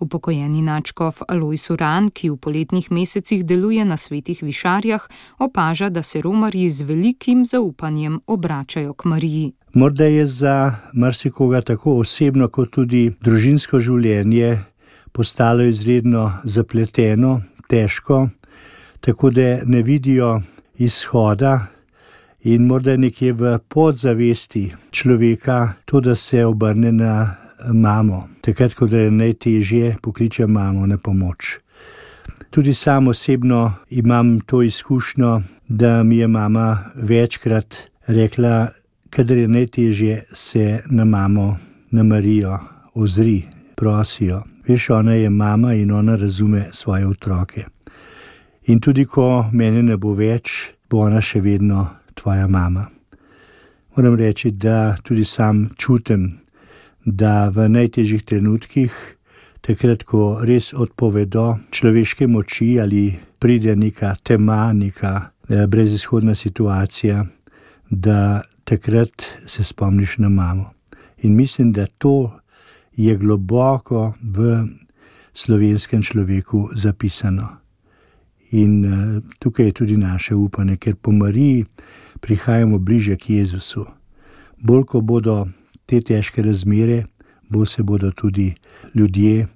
Upokojeni nadškof Alojz Uran, ki v poletnih mesecih deluje na Svetih Višarjah, opaža, da se romarji z velikim zaupanjem obračajo k Mariji. Morda je za marsikoga tako osebno kot tudi družinsko življenje postalo izredno zapleteno, težko, tako da ne vidijo izhoda in morda nekje v podzavesti človeka to, da se obrne na mamo. Takrat, ko je najtežje, pokliče mamo na pomoč. Tudi sam osebno imam to izkušnjo, da mi je mama večkrat rekla, kadar je najtežje, se na mamo, na Marijo ozri, prosijo. Veš, ona je mama in ona razume svoje otroke. In tudi ko mene ne bo več, bo ona še vedno tvoja mama. Moram reči, da tudi sam čutim, da v najtežjih trenutkih, takrat, ko res odpovedo človeške moči ali pride neka tema, neka brezizhodna situacija, da takrat se spomniš na mamo. In mislim, da to je globoko v slovenskem človeku zapisano. In tukaj je tudi naše upanje, ker po Mariji prihajamo bliže k Jezusu. Bolj, ko bodo te težke razmere, bolj se bodo tudi ljudje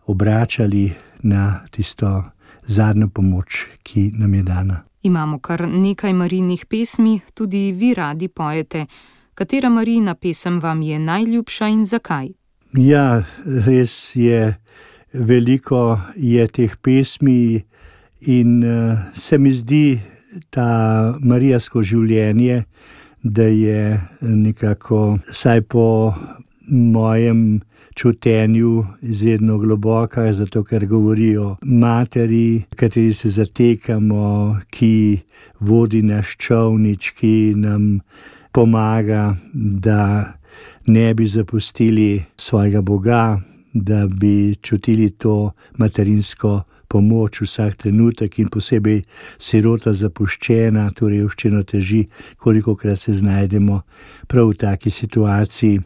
obračali na tisto zadnjo pomoč, ki nam je dana. Imamo kar nekaj Marijinih pesmi, tudi vi radi pojete. Katera Marijina pesem vam je najljubša in zakaj? Ja, res je, veliko je teh pesmi in se mi zdi ta marijasko življenje, da je nekako, saj po mojem čutenju, izredno globoka, zato ker govorijo materi, kateri se zatekamo, ki vodi naš čolnič, ki nam pomaga, da ne bi zapustili svojega Boga, da bi čutili to materinsko pomoč vsak trenutek in posebej sirota zapuščena, to revščino teži, kolikokrat se znajdemo prav v taki situaciji.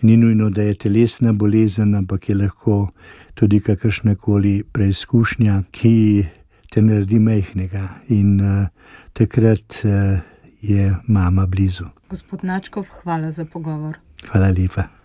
Ni nujno, da je telesna bolezen, ampak je lahko tudi kakršnakoli preizkušnja, ki te naredi majhnega in takrat je mama blizu. Gospod Nadškof, hvala za pogovor. Hvala lepa.